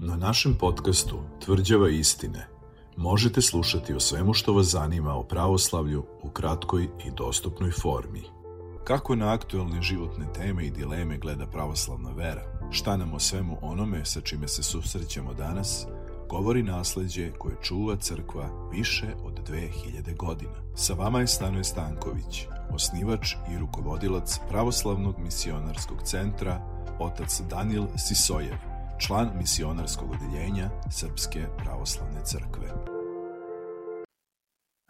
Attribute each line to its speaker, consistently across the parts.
Speaker 1: Na našem podcastu Tvrđava istine možete slušati o svemu što vas zanima o pravoslavlju u kratkoj i dostupnoj formi. Kako na aktuelne životne teme i dileme gleda pravoslavna vera? Šta nam o svemu onome sa čime se susrećemo danas govori nasleđe koje čuva crkva više od 2000 godina. Sa vama je Stanoje Stanković, osnivač i rukovodilac Pravoslavnog misionarskog centra, otac Danijel Sisojev, član misionarskog odeljenja Srpske pravoslavne crkve.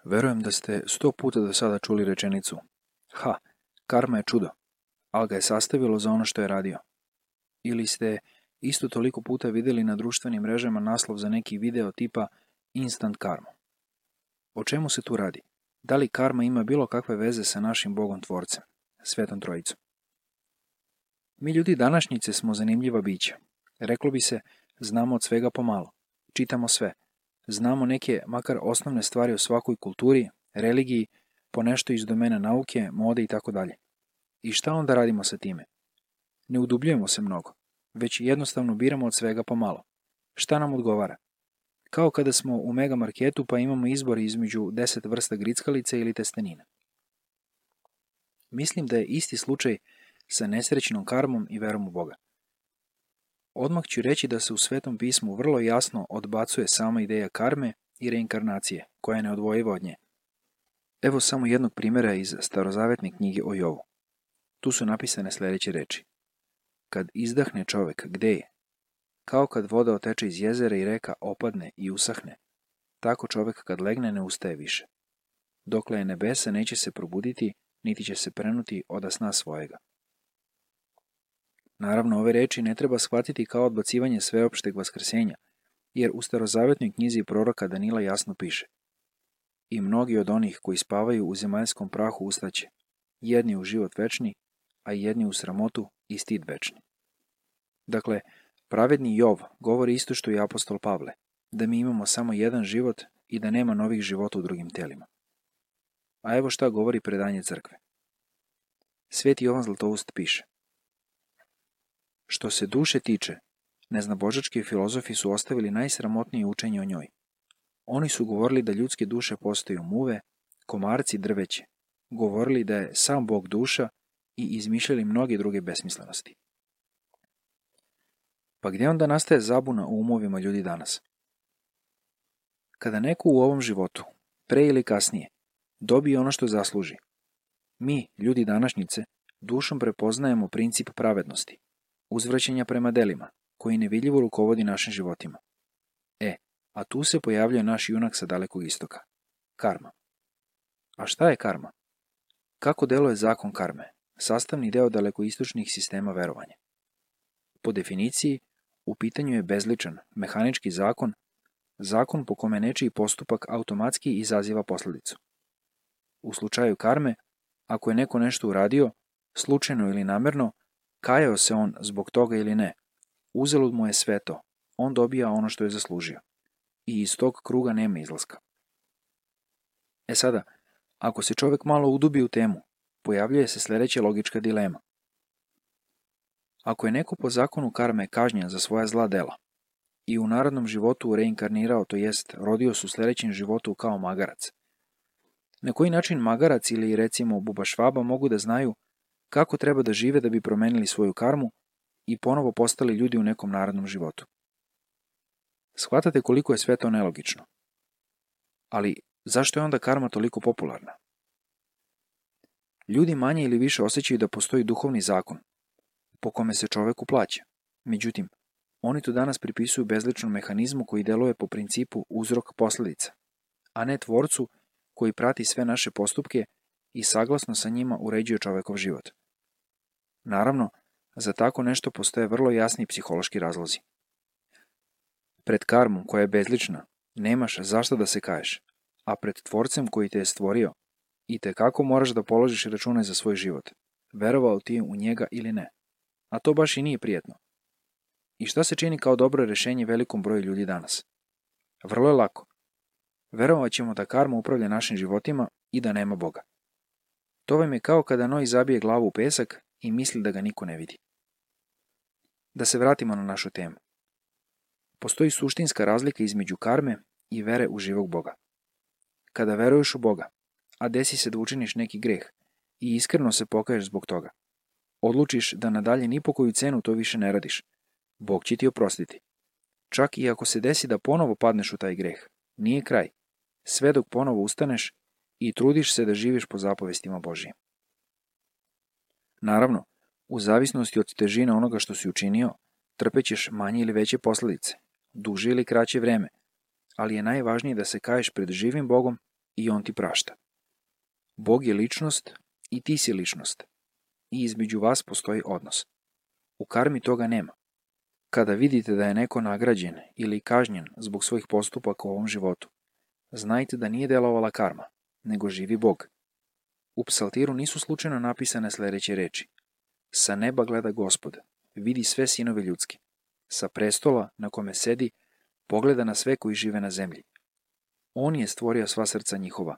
Speaker 2: Verujem da ste 100 puta do sada čuli rečenicu: karma je čudo, ali ga je sastavilo za ono što je radio. Ili ste isto toliko puta vidjeli na društvenim mrežama naslov za neki video tipa Instant karma. O čemu se tu radi? Da li karma ima bilo kakve veze sa našim Bogom Tvorcem, Svetom Trojicom? Mi ljudi današnjice smo zanimljiva bića. Reklo bi se, znamo od svega pomalo. Čitamo sve. Znamo neke, makar osnovne stvari o svakoj kulturi, religiji, po nešto iz domena nauke, mode itd. I šta onda radimo sa time? Ne udubljujemo se mnogo, već jednostavno biramo od svega pomalo. Šta nam odgovara? Kao kada smo u mega marketu pa imamo izbor između 10 vrsta grickalice ili testenina. Mislim da je isti slučaj sa nesrećnom karmom i verom u Boga. Odmah ću reći da se u Svetom pismu vrlo jasno odbacuje sama ideja karme i reinkarnacije, koja je neodvojiva od nje. Evo samo jednog primjera iz starozavetne knjige o Jovu. Tu su napisane sljedeće reči: Kad izdahne čovek, gde je? Kao kad voda oteče iz jezera i reka opadne i usahne, tako čovek kad legne ne ustaje više. Dokle je nebesa neće se probuditi, niti će se prenuti oda sna svojega. Naravno, ove reči ne treba shvatiti kao odbacivanje sveopšteg vaskrsenja, jer u starozavetnoj knjizi proroka Danila jasno piše: I mnogi od onih koji spavaju u zemaljskom prahu ustaće, jedni u život večni, a jedni u sramotu i stid večni. Dakle, pravedni Jov govori isto što i apostol Pavle, da mi imamo samo jedan život i da nema novih života u drugim telima. A evo šta govori predanje crkve. Sveti Jovan Zlatoust piše: Što se duše tiče, neznabožački filozofi su ostavili najsramotnije učenje o njoj. Oni su govorili da ljudske duše postaju muve, komarci, drveće, govorili da je sam Bog duša i izmišljali mnoge druge besmislenosti. Pa gdje onda nastaje zabuna u umovima ljudi danas? Kada neko u ovom životu, pre ili kasnije, dobije ono što zasluži, mi, ljudi današnjice, dušom prepoznajemo princip pravednosti, uzvraćanja prema delima, koji nevidljivo rukovodi našim životima. A tu se pojavljuje naš junak sa dalekog istoka. Karma. A šta je karma? Kako deluje zakon karme? Sastavni deo dalekoistočnih sistema verovanja. Po definiciji, u pitanju je bezličan, mehanički zakon, zakon po kome nečiji postupak automatski izaziva posljedicu. U slučaju karme, ako je neko nešto uradio, slučajno ili namerno, kajao se on zbog toga ili ne, uzalud mu je sve to, on dobija ono što je zaslužio. I iz tog kruga nema izlaska. Sada, ako se čovjek malo udubi u temu, pojavljuje se sljedeća logička dilema. Ako je neko po zakonu karme kažnjen za svoja zla dela i u narodnom životu reinkarnirao, to jest rodio se u sljedećem životu kao magarac, na koji način magarac ili recimo buba švaba mogu da znaju kako treba da žive da bi promenili svoju karmu i ponovo postali ljudi u nekom narodnom životu? Shvatate koliko je sve to nelogično. Ali zašto je onda karma toliko popularna? Ljudi manje ili više osjećaju da postoji duhovni zakon, po kome se čoveku plaća. Međutim, oni to danas pripisuju bezličnom mehanizmu koji deluje po principu uzrok-posljedica, a ne tvorcu koji prati sve naše postupke i saglasno sa njima uređuje čovekov život. Naravno, za tako nešto postoje vrlo jasni psihološki razlozi. Pred karmom koja je bezlična, nemaš zašto da se kaješ, a pred tvorcem koji te je stvorio, itekako moraš da položiš račune za svoj život, verovao ti u njega ili ne. A to baš i nije prijetno. I šta se čini kao dobro rješenje velikom broju ljudi danas? Vrlo je lako. Verovat ćemo da karma upravlja našim životima i da nema Boga. To vam je kao kada noj zabije glavu u pesak i misli da ga niko ne vidi. Da se vratimo na našu temu. Postoji suštinska razlika između karme i vere u živog Boga. Kada veruješ u Boga, a desi se da učiniš neki greh i iskreno se pokaješ zbog toga, odlučiš da nadalje ni po koju cenu to više ne radiš, Bog će ti oprostiti. Čak i ako se desi da ponovo padneš u taj greh, nije kraj, sve dok ponovo ustaneš i trudiš se da živiš po zapovestima Božijim. Naravno, u zavisnosti od težine onoga što si učinio, trpećeš manje ili veće posledice, duže ili kraće vreme, ali je najvažnije da se kaješ pred živim Bogom i On ti prašta. Bog je ličnost i ti si ličnost. I između vas postoji odnos. U karmi toga nema. Kada vidite da je neko nagrađen ili kažnjen zbog svojih postupaka u ovom životu, znajte da nije delovala karma, nego živi Bog. U psaltiru nisu slučajno napisane sledeće reči. Sa neba gleda Gospod, vidi sve sinove ljudske. Sa prestola na kome sedi, pogleda na sve koji žive na zemlji. On je stvorio sva srca njihova.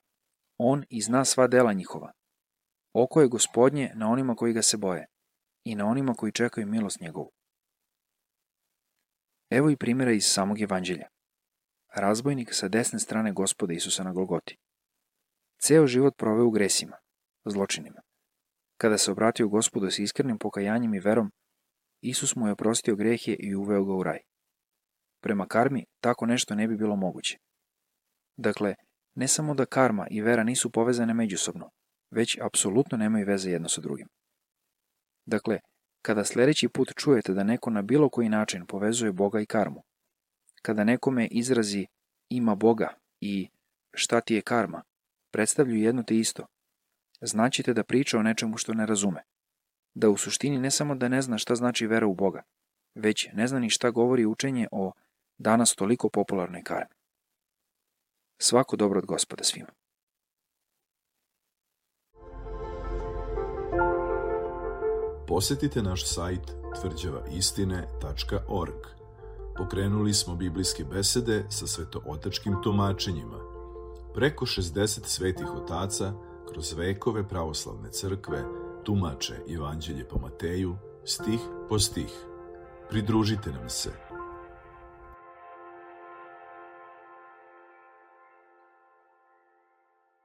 Speaker 2: On i zna sva dela njihova. Oko je Gospodnje na onima koji ga se boje i na onima koji čekaju milost njegovu. Evo i primjera iz samog evanđelja. Razbojnik sa desne strane Gospoda Isusa na Golgoti. Ceo život proveo u gresima, zločinima. Kada se obratio Gospodu s iskrenim pokajanjem i verom, Isus mu je oprostio grehe i uveo ga u raj. Prema karmi tako nešto ne bi bilo moguće. Dakle, ne samo da karma i vera nisu povezane međusobno, već apsolutno nemaju veze jedno sa drugim. Dakle, kada sledeći put čujete da neko na bilo koji način povezuje Boga i karmu, kada nekome izrazi ima Boga i šta ti je karma, predstavljaju jedno te isto, znaćete da priča o nečemu što ne razume. Da u suštini ne samo da ne zna šta znači vera u Boga, već ne zna ni šta govori učenje o danas toliko popularnoj karmi. Svako dobro od Gospoda svima.
Speaker 1: Posetite naš sajt tvrđavaistine.org. Pokrenuli smo biblijske besede sa svetootačkim tumačenjima. Preko 60 svetih otaca kroz vekove pravoslavne crkve tumače Evanđelje po Mateju, stih po stih. Pridružite nam se